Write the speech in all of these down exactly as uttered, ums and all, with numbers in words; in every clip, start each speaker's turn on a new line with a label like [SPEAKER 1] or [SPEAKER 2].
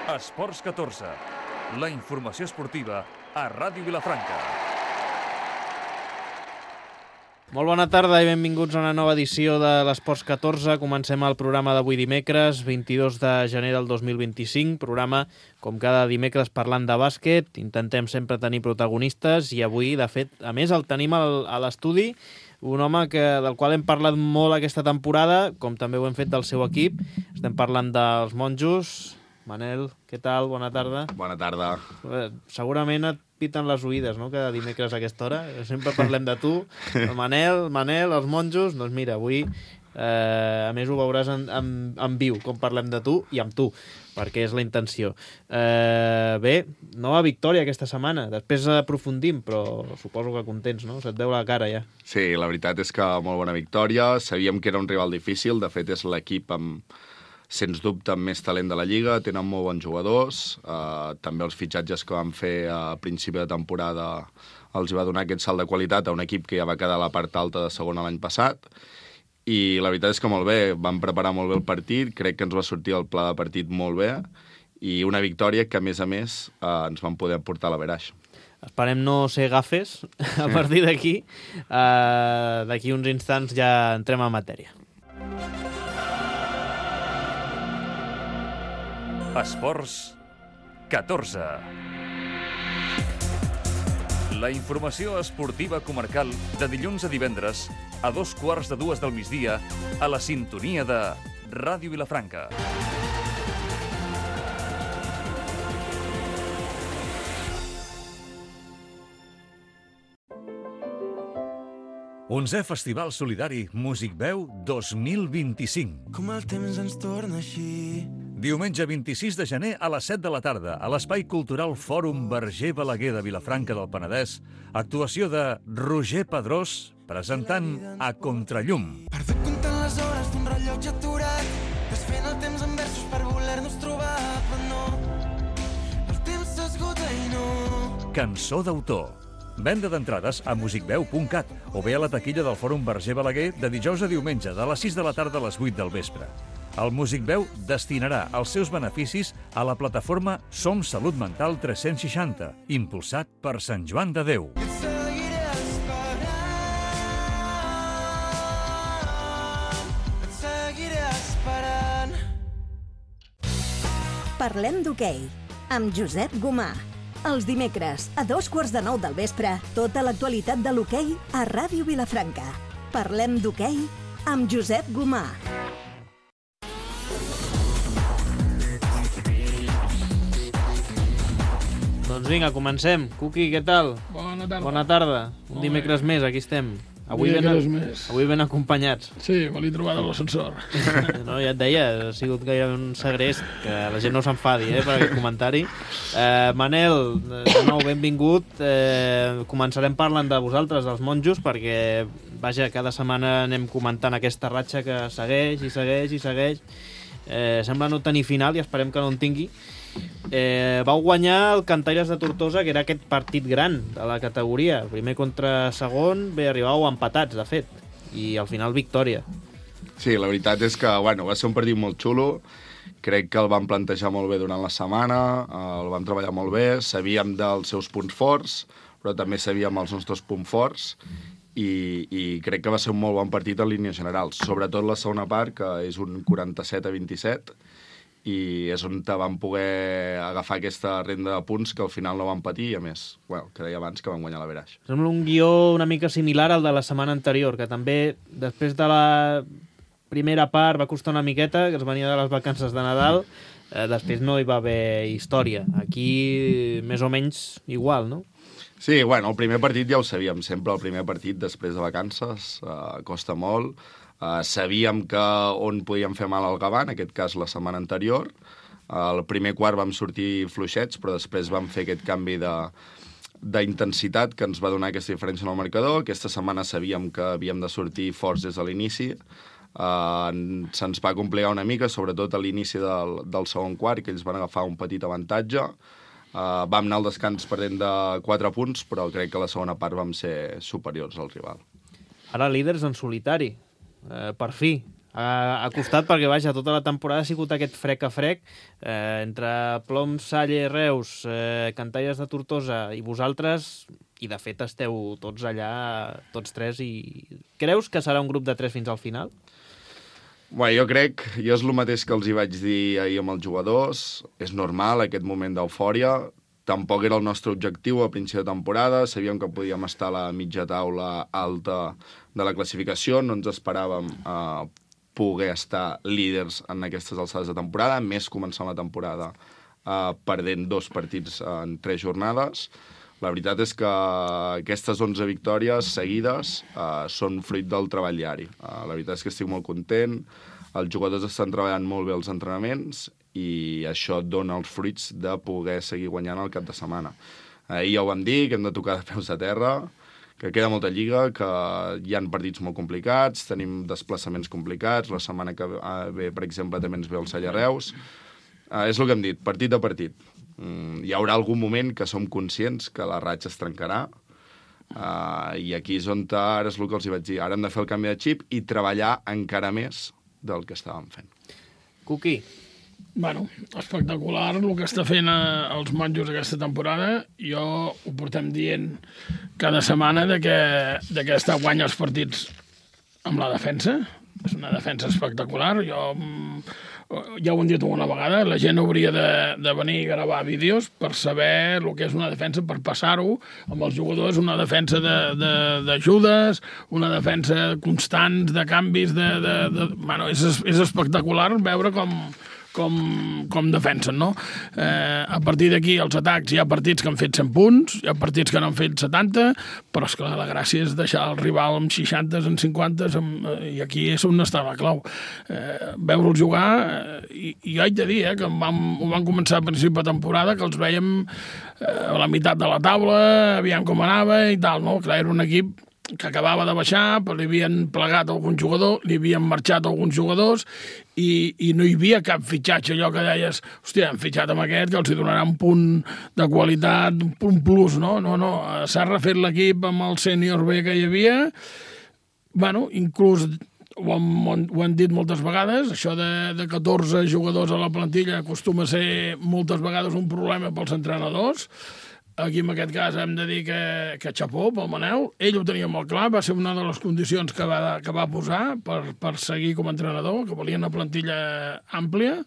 [SPEAKER 1] Esports catorze, la informació esportiva a Ràdio Vilafranca.
[SPEAKER 2] Molt bona tarda i benvinguts a una nova edició de l'Esports catorze. Comencem el programa d'avui dimecres, vint-i-dos de gener del dos mil vint-i-cinc. Programa, com cada dimecres, parlant de bàsquet. Intentem sempre tenir protagonistes i avui, de fet, a més, el tenim al, a l'estudi. Un home que, del qual hem parlat molt aquesta temporada, com també ho hem fet del seu equip. Estem parlant dels monjos. Manel, què tal? Bona tarda.
[SPEAKER 3] Bona tarda.
[SPEAKER 2] Segurament et piten les oïdes, no?, cada dimecres a aquesta hora. Sempre parlem de tu. El Manel, Manel, els monjos. Doncs mira, avui, eh, a més, ho veuràs en, en, en viu, com parlem de tu i amb tu, perquè és la intenció. Eh, bé, nova victòria aquesta setmana. Després aprofundim, però suposo que contents, no? Se't veu la cara ja.
[SPEAKER 3] Sí, la veritat és que molt bona victòria. Sabíem que era un rival difícil. De fet, és l'equip amb, sens dubte, amb més talent de la Lliga. Tenen molt bons jugadors. Uh, també els fitxatges que van fer a principi de temporada els va donar aquest salt de qualitat a un equip que ja va quedar a la part alta de segona l'any passat. I la veritat és que molt bé. Van preparar molt bé el partit. Crec que ens va sortir el pla de partit molt bé. I una victòria que, a més a més, uh, ens van poder portar a l'averaix.
[SPEAKER 2] Esperem no ser gafes a partir d'aquí. Uh, d'aquí uns instants ja entrem en matèria.
[SPEAKER 1] Esports catorze. La informació esportiva comarcal de dilluns a divendres a dos quarts de dues del migdia a la sintonia de Ràdio Vilafranca. Onzè Festival Solidari Músic Veu dos mil vint-i-cinc.
[SPEAKER 4] Com el temps ens torna així.
[SPEAKER 1] Diumenge vint-i-sis de gener a les set de la tarda a l'Espai Cultural Fòrum Verger Balaguer de Vilafranca del Penedès, actuació de Roger Pedrós presentant A Contrallum.
[SPEAKER 4] Perdut comptant les hores d'un rellotge aturat, desfent el temps en versos per voler-nos trobar, però no, el temps s'esgota i no.
[SPEAKER 1] Cançó d'autor. Venda d'entrades a musicveu punt cat o bé a la taquilla del Fòrum Verger Balaguer de dijous a diumenge de les sis de la tarda a les vuit del vespre. El Músic Veu destinarà els seus beneficis a la plataforma Som Salut Mental tres-cents seixanta, impulsat per Sant Joan de Déu.
[SPEAKER 4] Et seguiré esperant, et seguiré esperant.
[SPEAKER 5] Parlem d'hoquei, amb Josep Gomà. Els dimecres, a dos quarts de nou del vespre, tota l'actualitat de l'hoquei a Ràdio Vilafranca. Parlem d'hoquei amb Josep Gomà.
[SPEAKER 2] Doncs vinga, comencem. Cuqui, què tal?
[SPEAKER 6] Bona tarda.
[SPEAKER 2] Bona tarda. Un dimecres més, aquí estem. Avui ben,
[SPEAKER 6] Dimecres més.
[SPEAKER 2] avui ben acompanyats.
[SPEAKER 6] Sí, me l'he trobat a l'ascensor.
[SPEAKER 2] No, ja et deia, ha sigut gairebé un segrest, que la gent no s'enfadi eh, per aquest comentari. Eh, Manel, de nou, benvingut. Eh, començarem parlant de vosaltres, dels monjos, perquè, vaja, cada setmana anem comentant aquesta ratxa que segueix i segueix i segueix. Eh, sembla no tenir final i esperem que no en tingui. Eh, vau guanyar el Cantaires de Tortosa, que era aquest partit gran de la categoria. Primer contra segon, bé, arribàveu empatats, de fet, i al final victòria.
[SPEAKER 3] Sí, la veritat és que bueno, va ser un partit molt xulo. Crec que el vam plantejar molt bé durant la setmana, el vam treballar molt bé, sabíem dels seus punts forts, però també sabíem els nostres punts forts, i, i crec que va ser un molt bon partit en línies generals, sobretot la segona part, que és un quaranta-set a vint-i-set, i és on vam poder agafar aquesta renda de punts que al final no vam patir, i a més, bueno, que deia abans que vam guanyar l'averaix.
[SPEAKER 2] Sembla un guió una mica similar al de la setmana anterior, que també, després de la primera part, va costar una miqueta, que es venia de les vacances de Nadal, eh, després no hi va haver història. Aquí, més o menys, igual, no?
[SPEAKER 3] Sí, bueno, el primer partit ja ho sabíem, sempre el primer partit després de vacances, eh, costa molt. Uh, sabíem que on podíem fer mal al Gavà, en aquest cas la setmana anterior. Uh, el primer quart vam sortir fluixets, però després vam fer aquest canvi de d'intensitat que ens va donar aquesta diferència en el marcador. Aquesta setmana sabíem que havíem de sortir forts des de l'inici. Uh, se'ns va complicar una mica, sobretot a l'inici del, del segon quart, que ells van agafar un petit avantatge. Uh, vam anar al descans perdent de quatre punts, però crec que a la segona part vam ser superiors al rival.
[SPEAKER 2] Ara líders en solitari. Eh, per fi, ha, ha costat perquè, vaja, tota la temporada ha sigut aquest frec a frec, eh, entre Plom, Salle, Reus, eh, Cantalles de Tortosa i vosaltres, i de fet esteu tots allà, tots tres, i creus que serà un grup de tres fins al final?
[SPEAKER 3] Bé, jo crec, jo és el mateix que els hi vaig dir ahir amb els jugadors, és normal aquest moment d'eufòria, tampoc era el nostre objectiu a principi de temporada, sabíem que podíem estar a la mitja taula alta de la classificació, no ens esperàvem a eh, poder estar líders en aquestes alçades de temporada, més començant la temporada eh, perdent dos partits en tres jornades. La veritat és que aquestes onze victòries seguides eh, són fruit del treball diari. Eh, la veritat és que estic molt content, els jugadors estan treballant molt bé els entrenaments i això dona els fruits de poder seguir guanyant el cap de setmana. Ahir ja ho vam dir, que hem de tocar de peus a terra, que queda molta lliga, que hi ha partits molt complicats, tenim desplaçaments complicats, la setmana que ve, per exemple, també ens ve el Salle Reus. Uh, és el que hem dit, partit a partit. Mm, hi haurà algun moment que som conscients que la ratxa es trencarà, uh, i aquí és on ara és el que els hi vaig dir. Ara hem de fer el canvi de xip i treballar encara més del que estàvem fent.
[SPEAKER 2] Cuqui.
[SPEAKER 6] Bueno, espectacular el que està fent eh, els monjos aquesta temporada. Jo ho portem dient cada setmana de que, de que està guanya els partits amb la defensa. És una defensa espectacular. Jo ja ho hem dit una vegada, la gent hauria de, de venir a gravar vídeos per saber el que és una defensa, per passar-ho amb els jugadors, una defensa d'ajudes, una defensa constants, de canvis, de... de, de... Bueno, és, és espectacular veure com... Com, com defensen, no? Eh, a partir d'aquí, els atacs, hi ha partits que han fet cent punts, hi ha partits que n'han fet setanta, però, esclar, la gràcia és deixar el rival amb seixanta, amb cinquanta, amb, i aquí és on està la clau. Eh, Veure'ls jugar, eh, i, i haig de dir eh, que vam, ho van començar a principi de temporada, que els veiem eh, a la meitat de la taula, aviam com anava i tal, no? Clar, era un equip que acabava de baixar, però li havien plegat algun jugador, li havien marxat alguns jugadors i, i no hi havia cap fitxatge, allò que deies, hòstia, han fitxat amb aquest, que els hi donarà un punt de qualitat, un punt plus, no? No, no, s'ha refet l'equip amb el sènior B que hi havia, bueno, inclús ho hem, ho hem dit moltes vegades, això de, de catorze jugadors a la plantilla acostuma a ser moltes vegades un problema pels entrenadors. Aquí, en aquest cas, hem de dir que, que xapó pel Manel. Ell ho tenia molt clar, va ser una de les condicions que va, que va posar per, per seguir com a entrenador, que volia una plantilla àmplia.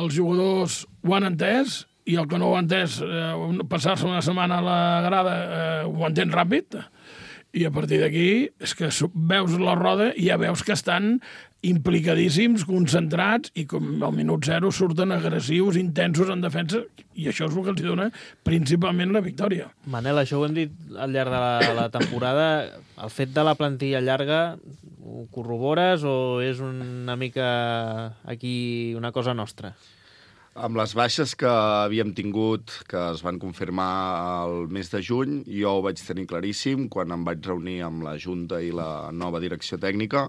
[SPEAKER 6] Els jugadors ho han entès, i el que no ho ha entès, eh, passar-se una setmana a la grada, eh, ho entén ràpid, i a partir d'aquí és que veus la roda i ja veus que estan implicadíssims, concentrats, i com al minut zero surten agressius, intensos en defensa, i això és el que els dona principalment la victòria.
[SPEAKER 2] Manel, això ho hem dit al llarg de la, la temporada. El fet de la plantilla llarga ho corrobores o és una mica aquí una cosa nostra?
[SPEAKER 3] Amb les baixes que havíem tingut, que es van confirmar el mes de juny, jo ho vaig tenir claríssim quan em vaig reunir amb la Junta i la nova direcció tècnica,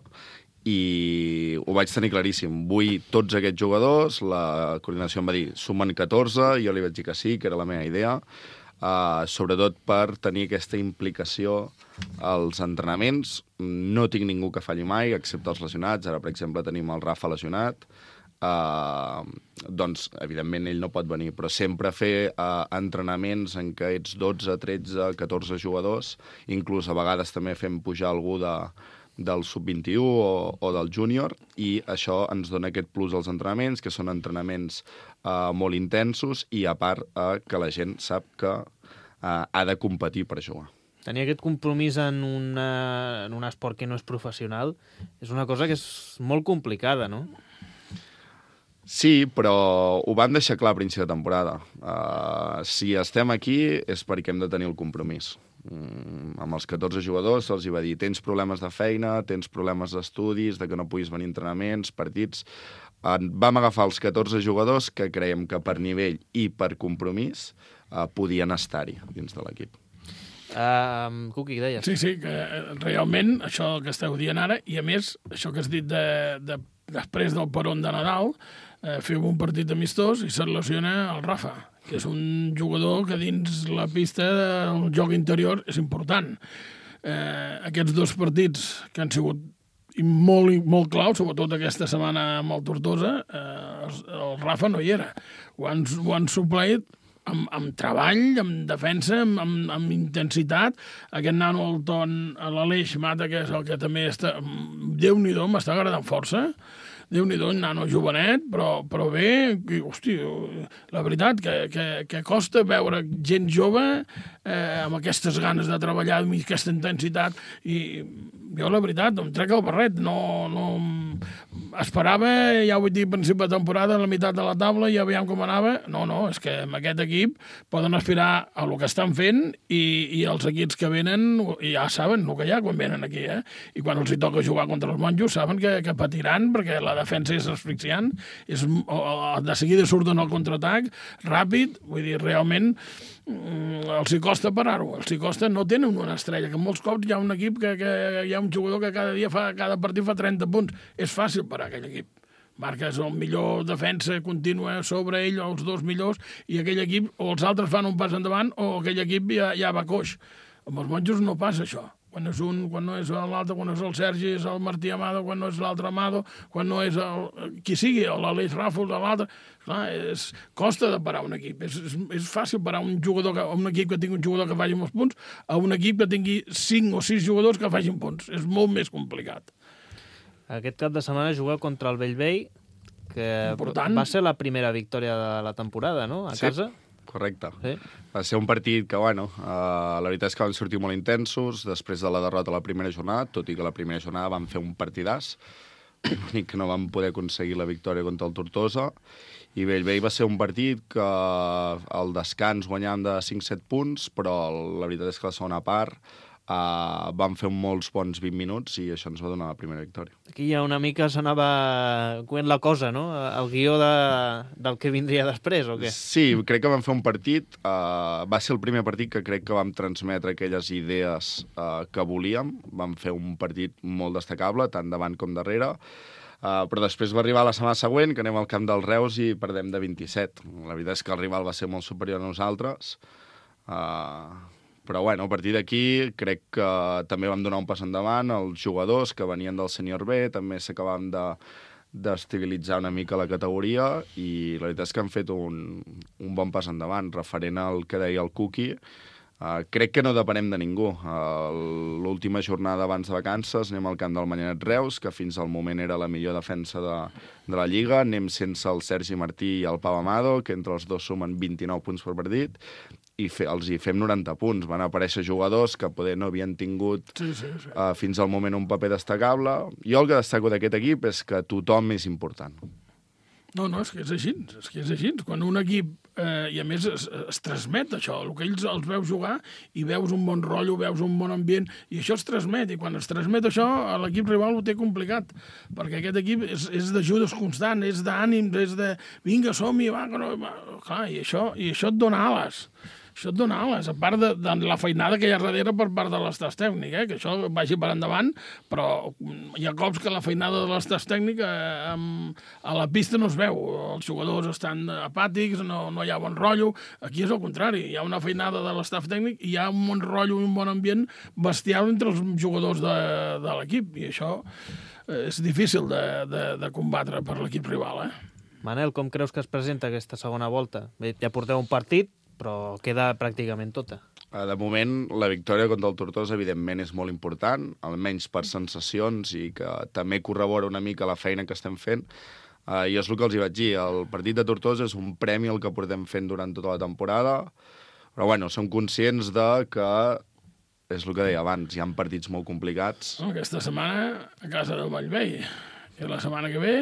[SPEAKER 3] i ho vaig tenir claríssim. Vull tots aquests jugadors, la coordinació em va dir, sumen catorze, jo li vaig dir que sí, que era la meva idea, uh, sobretot per tenir aquesta implicació als entrenaments. No tinc ningú que falli mai, excepte els lesionats. Ara, per exemple, tenim el Rafa lesionat. Uh, doncs, evidentment, ell no pot venir, però sempre fer uh, entrenaments en què ets dotze, tretze, catorze jugadors, inclús a vegades també fem pujar algú de, del sub vint-i-u o, o del júnior, i això ens dona aquest plus als entrenaments, que són entrenaments uh, molt intensos, i a part uh, que la gent sap que uh, ha de competir per jugar.
[SPEAKER 2] Tenir aquest compromís en, una, en un esport que no és professional és una cosa que és molt complicada, no?
[SPEAKER 3] Sí, però ho van deixar clar a principi de temporada. Uh, si estem aquí és perquè hem de tenir el compromís. Mm, amb els catorze jugadors se'ls va dir, tens problemes de feina, tens problemes d'estudis, de que no puguis venir a entrenaments, partits. Uh, vam agafar els catorze jugadors que creiem que per nivell i per compromís uh, podien estar-hi dins de l'equip.
[SPEAKER 2] Uh, Cuqui, deies?
[SPEAKER 6] Sí, sí, que realment això que esteu dient ara, i a més, això que has dit de, de després del peron de Nadal, eh, feu un partit amistós i se't lesiona el Rafa, que és un jugador que dins la pista del joc interior és important. Eh, aquests dos partits que han sigut i molt, molt clau, sobretot aquesta setmana amb el Tortosa, eh, el, el Rafa no hi era. Ho han, ho han supleit amb, amb treball, amb defensa, amb, amb, amb intensitat. Aquest nano, el Ton, l'Aleix Mata, que és el que també està... Déu-n'hi-do, m'està agradant força. Déu-n'hi-do, un nano jovenet, però, però bé, que, hosti, la veritat, que, que, que costa veure gent jove eh, amb aquestes ganes de treballar, amb aquesta intensitat, i jo, la veritat, em trec el barret, no, no... Esperava, ja ho vaig dir, a principi de temporada, a la meitat de la taula, i ja veiem com anava. No, no, és que amb aquest equip poden aspirar a el que estan fent i, i els equips que venen ja saben el que hi ha quan venen aquí, eh? I quan els hi toca jugar contra els monjos saben que, que patiran perquè la defensa és asfixiant, és, de seguida surten al contraatac, ràpid, vull dir, realment els hi costa parar-ho, els hi costa, no tenen una estrella, que molts cops hi ha un equip que, que hi ha un jugador que cada dia fa, cada partit fa trenta punts, és fàcil parar aquell equip. Marques el millor defensa contínua sobre ell, o els dos millors, i aquell equip, o els altres fan un pas endavant, o aquell equip ja, ja va coix. Amb els monjos no passa això. Quan és un, quan no és l'altre, quan és el Sergi, és el Martí Amado, quan no és l'altre Amado, quan no és el, qui sigui, l'Aleix Ràfols, l'altre... Clar, és, costa de parar un equip. És, és, és fàcil parar un jugador, que, un equip que tingui un jugador que faci molts punts a un equip que tingui cinc o sis jugadors que facin punts. És molt més complicat.
[SPEAKER 2] Aquest cap de setmana juga contra el Bellvei, que Important. va ser la primera victòria de la temporada, no?, a
[SPEAKER 3] sí.
[SPEAKER 2] casa.
[SPEAKER 3] Correcte.
[SPEAKER 2] Sí.
[SPEAKER 3] Va ser un partit que, bueno, uh, la veritat és que van sortir molt intensos després de la derrota a la primera jornada, tot i que la primera jornada van fer un partidàs, l'únic que no van poder aconseguir la victòria contra el Tortosa, i Bellvei va ser un partit que al descans guanyàvem de cinc set punts, però la veritat és que la segona part uh, van fer molts bons vint minuts i això ens va donar la primera victòria.
[SPEAKER 2] Aquí ja una mica s'anava coent la cosa, no?, el guió de, del que vindria després, o què?
[SPEAKER 3] Sí, crec que vam fer un partit, uh, va ser el primer partit que crec que vam transmetre aquelles idees uh, que volíem, vam fer un partit molt destacable, tant davant com darrere, Uh, però després va arribar la setmana següent, que anem al camp del Reus i perdem de vint-i-set. La veritat és que el rival va ser molt superior a nosaltres. Uh, però, bueno, a partir d'aquí crec que també vam donar un pas endavant. Els jugadors que venien del sènior B també s'acabaven de d'estabilitzar una mica la categoria i la veritat és que han fet un, un bon pas endavant. Referent al que deia el Cuqui, Uh, crec que no depenem de ningú. Uh, L'última jornada abans de vacances anem al camp del Manyanet Reus, que fins al moment era la millor defensa de, de la Lliga. Anem sense el Sergi Martí i el Pau Amado, que entre els dos sumen vint-i-nou punts per partit, i fe, els hi fem noranta punts. Van aparèixer jugadors que poder no havien tingut
[SPEAKER 6] sí, sí, sí.
[SPEAKER 3] Uh, fins al moment un paper destacable. Jo el que destaco d'aquest equip és que tothom és important.
[SPEAKER 6] No, no, és que és així, és que és així. Quan un equip, eh, i a més es, es transmet això, el que ells els veus jugar i veus un bon rotllo, veus un bon ambient, i això es transmet, i quan es transmet això, l'equip rival ho té complicat, perquè aquest equip és, és d'ajudes constant, és d'ànims, és de vinga, som-hi, va, no, va. Clar, i això, i això et dona ales. Això et dona ales, a part de, de la feinada que hi ha darrere per part de l'estàs tècnic, eh? Que això vagi per endavant, però hi ha cops que la feinada de l'estàs tècnic eh, amb, a la pista no es veu. Els jugadors estan apàtics, no, no hi ha bon rotllo. Aquí és el contrari, hi ha una feinada de l'estaf tècnic i hi ha un bon rotllo i un bon ambient bestial entre els jugadors de, de l'equip, i això és difícil de, de, de combatre per l'equip rival, eh?
[SPEAKER 2] Manel, com creus que es presenta aquesta segona volta? Bé, ja porteu un partit, però queda pràcticament tota.
[SPEAKER 3] De moment, la victòria contra el Tortosa, evidentment, és molt important, almenys per sensacions, i que també corrobora una mica la feina que estem fent. Uh, I és el que els hi vaig dir, el partit de Tortosa és un premi el que portem fent durant tota la temporada, però bueno, som conscients de que, és el que deia abans, hi ha partits molt complicats.
[SPEAKER 6] Aquesta setmana a casa del Bellvei, i la setmana que ve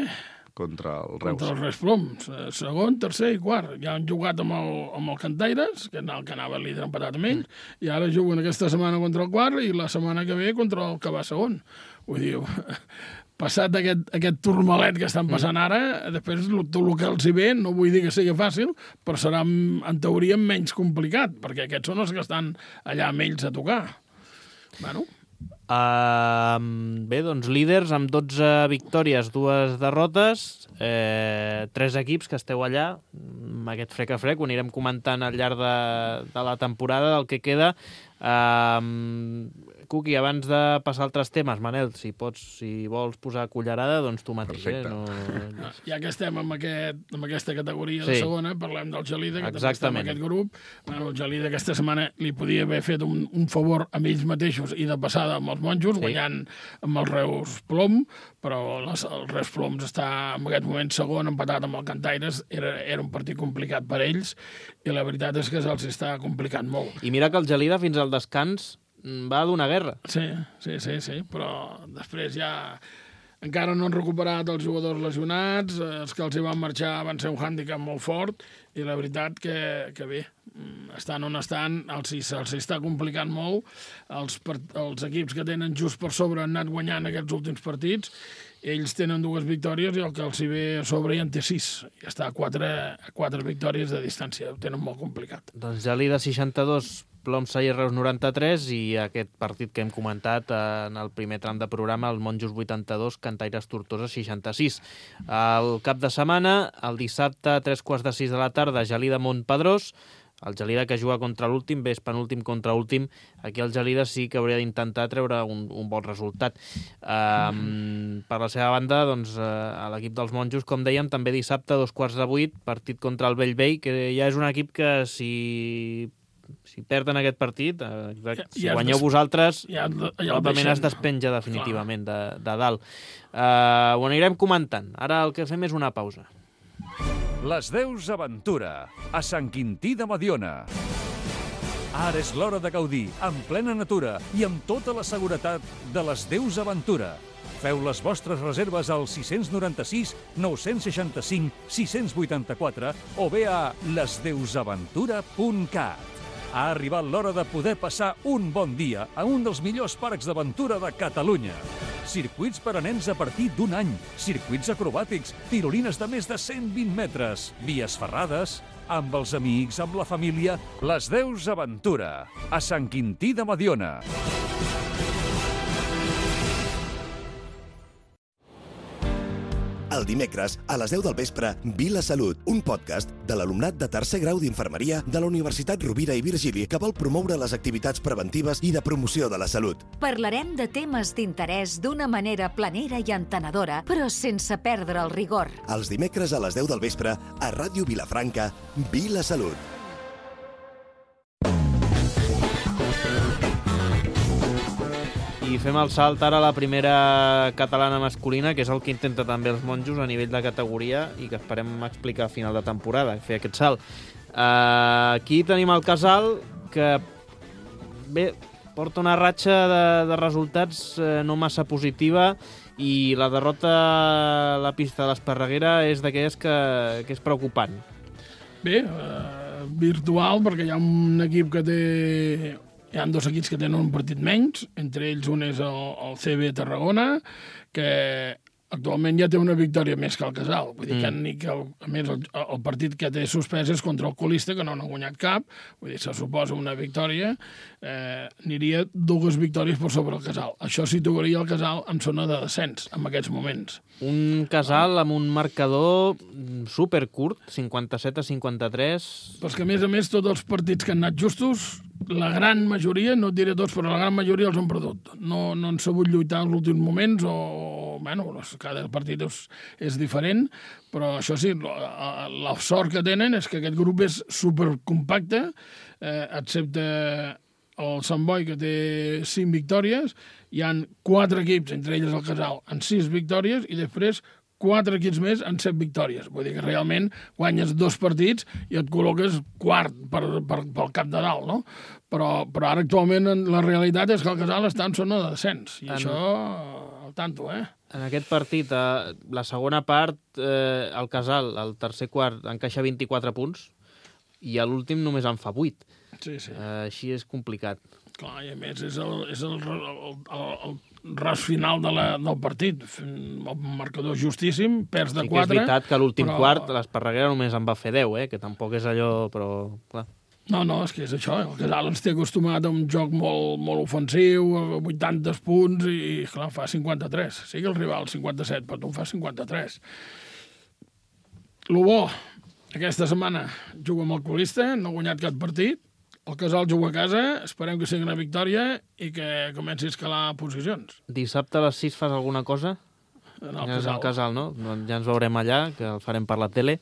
[SPEAKER 3] contra el Reus.
[SPEAKER 6] Contra el Reus Ploms. Segon, tercer i quart. Ja han jugat amb el, amb el Cantaires, que el que anava líder empatat amb ells, mm. i ara juguen aquesta setmana contra el quart i la setmana que ve contra el que va segon. Vull dir, passat aquest, aquest turmalet que estan passant ara, després tot el que els hi ve, no vull dir que sigui fàcil, però serà, en teoria, menys complicat, perquè aquests són els que estan allà amb ells a tocar. Bueno...
[SPEAKER 2] Uh, bé, doncs líders amb dotze victòries, dues derrotes, eh, tres equips que esteu allà, amb aquest frec a frec, ho anirem comentant al llarg de, de la temporada, del que queda. Uh, Cuqui, abans de passar altres temes, Manel, si pots, si vols posar cullerada, doncs tu mateix.
[SPEAKER 3] Perfecte.
[SPEAKER 2] Eh? No...
[SPEAKER 6] Ja que estem en, aquest, en aquesta categoria
[SPEAKER 2] Sí.
[SPEAKER 6] de segona, parlem del Gelida, que també està
[SPEAKER 2] Exactament.
[SPEAKER 6] en aquest grup. Bueno, el Gelida aquesta setmana li podia haver fet un, un favor amb ells mateixos i de passada amb els monjos,
[SPEAKER 2] Sí.
[SPEAKER 6] guanyant amb els Reus Plom, però les, el Reus Ploms està en aquest moment segon, empatat amb el Cantaires. Era, era un partit complicat per ells i la veritat és que se'ls està complicant molt.
[SPEAKER 2] I mira que el Gelida fins al descans va donar guerra.
[SPEAKER 6] Sí, sí, sí, sí, però després ja encara no han recuperat els jugadors lesionats, els que els hi van marxar van ser un hàndicap molt fort i la veritat que, que bé, estan on estan, els, els està complicant molt, els, els equips que tenen just per sobre han anat guanyant aquests últims partits, ells tenen dues victòries i el que els hi ve a sobre ja en té sis, ja està a quatre, a quatre victòries de distància, ho tenen molt complicat.
[SPEAKER 2] Doncs Gelida seixanta-dos, Plom-Salle Reus noranta-tres i aquest partit que hem comentat en el primer tram de programa, el Monjos vuitanta-dos, Cantaires Tortosa seixanta-sis. El cap de setmana, el dissabte, a tres quarts de sis de la tarda, Gelida Montpedrós, el Gelida que juga contra l'últim, bé, és penúltim contra últim. Aquí el Gelida sí que hauria d'intentar treure un, un bon resultat. Um, per la seva banda, doncs, uh, l'equip dels Monjos, com dèiem, també dissabte, a dos quarts de vuit, partit contra el Bellvei, que ja és un equip que si... si perden aquest partit, eh, si
[SPEAKER 6] ja
[SPEAKER 2] guanyeu
[SPEAKER 6] des...
[SPEAKER 2] vosaltres,
[SPEAKER 6] ja, ja
[SPEAKER 2] probablement es despenja definitivament de, de dalt. Uh, ho anirem comentant. Ara el que fem és una pausa.
[SPEAKER 1] Les Deus Aventura, a Sant Quintí de Mediona. Ara és l'hora de gaudir, en plena natura i amb tota la seguretat de les Deus Aventura. Feu les vostres reserves al sis nou sis, nou sis cinc, sis vuit quatre o bé a les deus aventura punt cat. Ha arribat l'hora de poder passar un bon dia a un dels millors parcs d'aventura de Catalunya. Circuits per a nens a partir d'un any, circuits acrobàtics, tirolines de més de cent vint metres, vies ferrades, amb els amics, amb la família, les Deus Aventura, a Sant Quintí de Mediona.
[SPEAKER 7] El dimecres, a les deu del vespre, Vila Salut, un podcast de l'alumnat de tercer grau d'infermeria de la Universitat Rovira i Virgili que vol promoure les activitats preventives i de promoció de la salut.
[SPEAKER 8] Parlarem de temes d'interès d'una manera planera i entenedora, però sense perdre el rigor.
[SPEAKER 7] Els dimecres a les deu del vespre, a Ràdio Vilafranca, Vila Salut.
[SPEAKER 2] I fem el salt ara a la primera catalana masculina, que és el que intenta també els Monjos a nivell de categoria i que esperem explicar a final de temporada, fer aquest salt. Uh, aquí tenim el Casal, que bé, porta una ratxa de, de resultats uh, no massa positiva i la derrota a la pista de l'Esparreguera és d'aquelles que, que és preocupant.
[SPEAKER 6] Bé, uh, virtual, perquè hi ha un equip que té... Hi ha dos equips que tenen un partit menys, entre ells un és el, el C B Tarragona, que actualment ja té una victòria més que el Casal. Vull dir que, mm. ni que el, a més, el, el partit que té suspès és contra el colista, que no n'ha guanyat cap. Vull dir, se suposa una victòria. Eh, aniria dues victòries per sobre el Casal. Això situaria el Casal en zona de descens, en aquests moments.
[SPEAKER 2] Un Casal amb un marcador supercurt, cinquanta-set a cinquanta-tres.
[SPEAKER 6] Però és que, a més a més, tots els partits que han anat justos, la gran majoria, no et diré tots, però la gran majoria els han perdut. No, no han sabut lluitar en els últims moments o... Bueno, cada partit és, és diferent, però això sí, la, la sort que tenen és que aquest grup és supercompacte, eh, excepte el Sant Boi, que té cinc victòries, hi han quatre equips, entre ells el Casal, amb sis victòries, i després quatre equips més en set victòries. Vull dir que realment guanyes dos partits i et col·loques quart per, per, pel cap de dalt, no? Però, però ara actualment la realitat és que el Casal està en zona de descens, i en... això al tanto, eh?
[SPEAKER 2] En aquest partit, eh, la segona part, eh, el Casal, el tercer quart, encaixa vint-i-quatre punts i a l'últim només en fa vuit.
[SPEAKER 6] Sí, sí.
[SPEAKER 2] Eh, així és complicat.
[SPEAKER 6] Clar, i a més és el, és el, el, el, el ras final de la, del partit. El marcador justíssim, perds de
[SPEAKER 2] sí
[SPEAKER 6] quatre.
[SPEAKER 2] Sí que és veritat que a l'últim
[SPEAKER 6] però...
[SPEAKER 2] quart l'Esparreguera només en va fer deu, eh, que tampoc és allò, però clar.
[SPEAKER 6] No, no, és que és això. El Casal ens té acostumat a un joc molt, molt ofensiu, a vuitanta punts, i, clar, fa cinquanta-tres. Sí que el rival cinquanta-set, però tu en fa cinquanta-tres. Lo bo, aquesta setmana juga amb el colista, no ha guanyat cap partit, El Casal juga a casa, esperem que sigui una victòria i que comenci a escalar posicions.
[SPEAKER 2] Dissabte a les sis fas alguna cosa?
[SPEAKER 6] En el
[SPEAKER 2] Ja és
[SPEAKER 6] Casal.
[SPEAKER 2] el Casal, no? Doncs ja ens veurem allà, que el farem per la tele.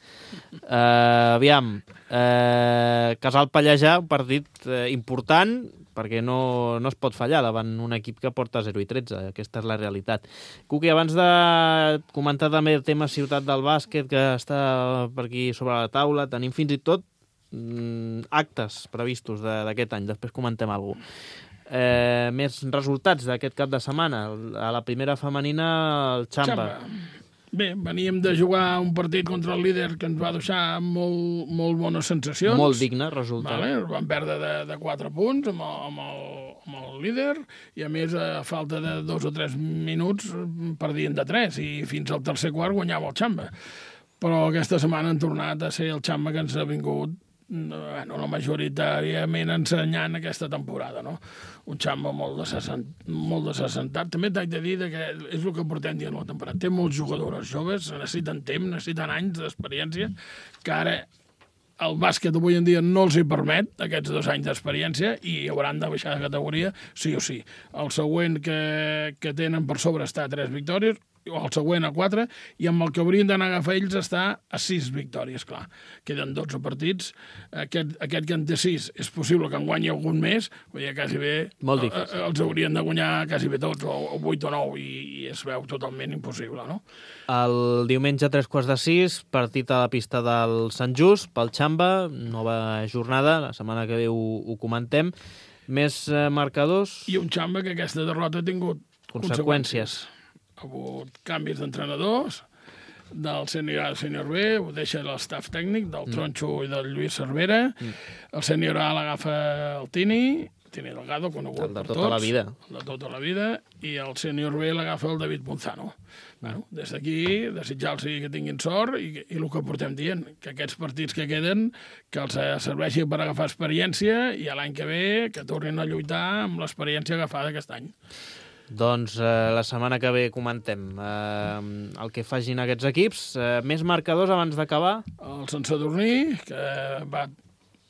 [SPEAKER 2] Uh, aviam, uh, Casal Pallejà, un partit uh, important, perquè no, no es pot fallar davant un equip que porta zero i tretze. Aquesta és la realitat. Cuqui, abans de comentar també el tema ciutat del bàsquet, que està per aquí sobre la taula, tenim fins i tot mm, actes previstos d'aquest any. Després comentem alguna cosa. Eh, més resultats d'aquest cap de setmana. A la primera femenina, el Xamba.
[SPEAKER 6] Xamba. Bé, veníem de jugar un partit contra el líder que ens va deixar molt, molt bones sensacions.
[SPEAKER 2] Molt digne resultat.
[SPEAKER 6] Vale, vam perdre de, de quatre punts amb el, amb, el, amb el líder i a més a falta de dos o tres minuts perdien de tres i fins al tercer quart guanyava el Xamba. Però aquesta setmana han tornat a ser el Xamba que ens ha vingut bueno, no majoritàriament ensenyant aquesta temporada, no? Un Xamba molt desassentat. També t'haig de dir que és el que portem dient la temporada. Té molts jugadores joves, necessiten temps, necessiten anys d'experiència, que ara el bàsquet avui en dia no els hi permet aquests dos anys d'experiència i hauran de baixar de categoria sí o sí. El següent que, que tenen per sobre està a tres victòries, o el següent a quatre, i amb el que haurien d'anar a agafar ells està a sis victòries, clar. Queden dotze partits. Aquest, aquest que en té sis és possible que en guanyi algun més, vull dir, quasi bé
[SPEAKER 2] molt difícil.
[SPEAKER 6] Els haurien de guanyar quasi bé tots, o, o vuit o nou, i, i es veu totalment impossible, no?
[SPEAKER 2] El diumenge a tres quarts de sis, partit a la pista del Sant Just, pel Xamba, nova jornada, la setmana que ve ho, ho comentem. Més eh, marcadors?
[SPEAKER 6] I un Xamba que aquesta derrota ha tingut conseqüències. conseqüències. Ha hagut canvis d'entrenadors, del sènior A al sènior B, ho deixa l'estaf tècnic, del Tronxo mm. i del Lluís Cervera. Mm. El sènior A l'agafa el Tini, Tini Delgado, conegut
[SPEAKER 2] el de
[SPEAKER 6] per
[SPEAKER 2] tota
[SPEAKER 6] tots.
[SPEAKER 2] La vida.
[SPEAKER 6] El de tota la vida. I el sènior B l'agafa el David Ponzano. Mm. Bueno, des d'aquí, desitjar-los que tinguin sort i, i el que portem dient, que aquests partits que queden, que els serveixin per agafar experiència i l'any que ve que tornin a lluitar amb l'experiència agafada aquest any.
[SPEAKER 2] Doncs eh, la setmana que ve comentem eh, el que facin aquests equips. Eh, més marcadors abans d'acabar?
[SPEAKER 6] El Sant Sadurní, que va,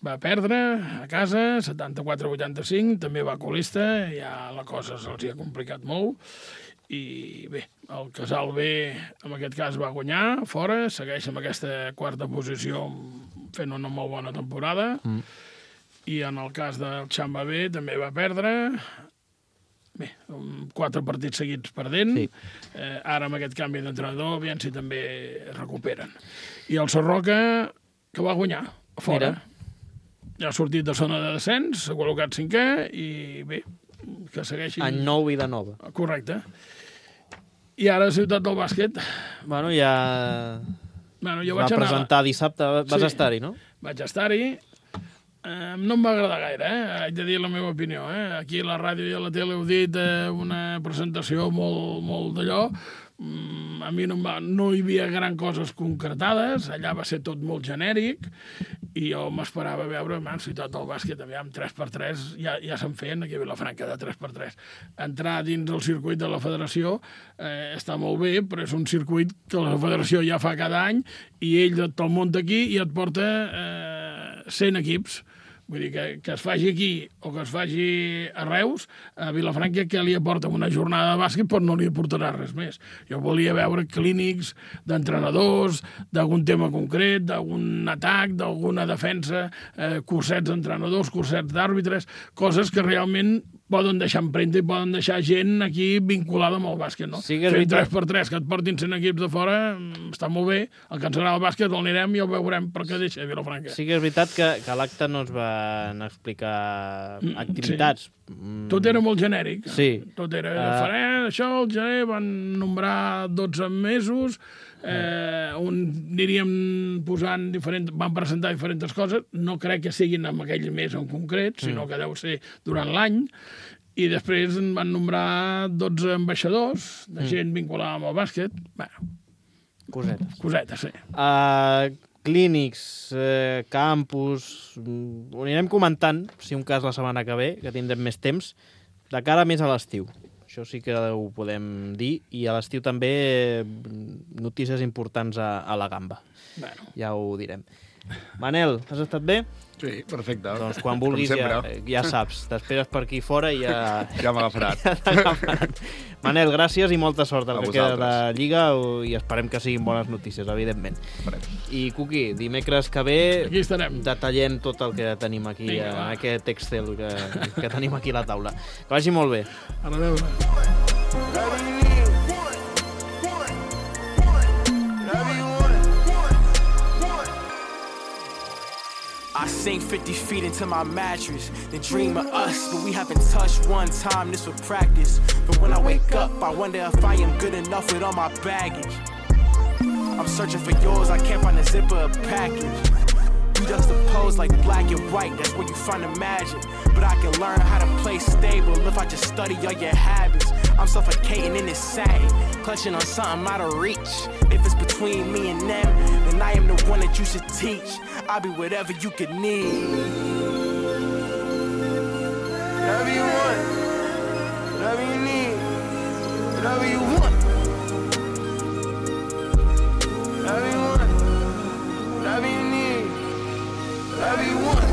[SPEAKER 6] va perdre a casa, setanta-quatre a vuitanta-cinc, també va colista, ja la cosa se'ls ha complicat molt. I bé, el Casal B, en aquest cas, va guanyar fora, segueix amb aquesta quarta posició fent una molt bona temporada. Mm. I en el cas del Xamba B també va perdre. Bé, quatre partits seguits perdent. Sí. Eh, ara amb aquest canvi d'entrenador, aviam si també es recuperen. I el Sarroca, que va guanyar a fora. Mira. Ja ha sortit de zona de descens, s'ha col·locat cinquè i bé, que segueixin...
[SPEAKER 2] Any nou i de nova.
[SPEAKER 6] Correcte. I ara Ciutat del Bàsquet.
[SPEAKER 2] Bueno, ja...
[SPEAKER 6] Bueno, jo
[SPEAKER 2] va
[SPEAKER 6] vaig
[SPEAKER 2] presentar
[SPEAKER 6] anar...
[SPEAKER 2] dissabte, vas
[SPEAKER 6] sí,
[SPEAKER 2] estar-hi, no?
[SPEAKER 6] Vaig estar-hi. Eh, no em va agradar gaire, eh? Haig de dir la meva opinió. Eh? Aquí a la ràdio i a la tele heu dit eh, una presentació molt, molt d'allò. Mm, a mi no, va, no hi havia gran coses concretades, allà va ser tot molt genèric i jo m'esperava veure, man, Ciutat del Bàsquet, aviam, tres per tres, ja, ja se'n feien aquí a Vilafranca de tres per tres. Entrar dins el circuit de la federació eh, està molt bé, però és un circuit que la federació ja fa cada any i ell te'l munta aquí i et porta eh, cent equips. Vull dir, que, que es faci aquí o que es faci a Reus, a Vilafranca, que li aporta una jornada de bàsquet, però no li aportarà res més. Jo volia veure clínics d'entrenadors, d'algun tema concret, d'algun atac, d'alguna defensa, eh, cursets d'entrenadors, cursets d'àrbitres, coses que realment poden deixar empremta i poden deixar gent aquí vinculada amb el bàsquet, no?
[SPEAKER 2] Sí que
[SPEAKER 6] Fent tres per tres, que et portin cent equips de fora, està molt bé. El que ens agrada el bàsquet el anirem i el veurem per què deixa a Vilafranca.
[SPEAKER 2] Sí que és veritat que, que a l'acte no es van explicar activitats.
[SPEAKER 6] Sí. Tot era molt genèric.
[SPEAKER 2] Sí.
[SPEAKER 6] Tot era,
[SPEAKER 2] Uh...
[SPEAKER 6] faré això, el gener, van nombrar dotze mesos, eh, on aniríem posant diferents, van presentar diferents coses, no crec que siguin en aquell mes en concret, sinó que deu ser durant l'any, i després en van nombrar dotze ambaixadors de gent vinculada amb el bàsquet. Bueno,
[SPEAKER 2] cosetes.
[SPEAKER 6] Cosetes, sí.
[SPEAKER 2] Uh, clínics, eh, campus... Ho anirem comentant, si un cas la setmana que ve, que tindrem més temps, de cara més a l'estiu. Això sí que ho podem dir. I a l'estiu també notícies importants a, a la gamba.
[SPEAKER 6] Bueno.
[SPEAKER 2] Ja ho direm. Manel, has estat bé?
[SPEAKER 3] Sí, perfecte.
[SPEAKER 2] Doncs quan vulguis ja, ja saps. T'esperes per aquí fora i ja...
[SPEAKER 3] Ja m'agafaran.
[SPEAKER 2] Ja t'agafaran. Manel, gràcies i molta sort al que queda de Lliga i esperem que siguin bones notícies, evidentment.
[SPEAKER 3] Farem.
[SPEAKER 2] I, Cuqui, dimecres que ve
[SPEAKER 6] Aquí estarem.
[SPEAKER 2] detallem tot el que tenim aquí,
[SPEAKER 6] Vinga,
[SPEAKER 2] en
[SPEAKER 6] va.
[SPEAKER 2] aquest Excel que, que tenim aquí a la taula. Que vagi molt bé.
[SPEAKER 6] A veure.
[SPEAKER 9] I sink fifty feet into my mattress, then dream of us, but we haven't touched one time, this was practice. But when I wake up, I wonder if I am good enough with all my baggage. I'm searching for yours, I can't find a zipper or package. You juxtapose like black and white, that's where you find the magic. But I can learn how to play stable if I just study all your habits. I'm suffocating in this satin, clutching on something out of reach. If it's between me and them, then I am the one that you should teach. I'll be whatever you could need. Whatever you want, whatever you need, whatever you want. Whatever you want, whatever you need, whatever you want.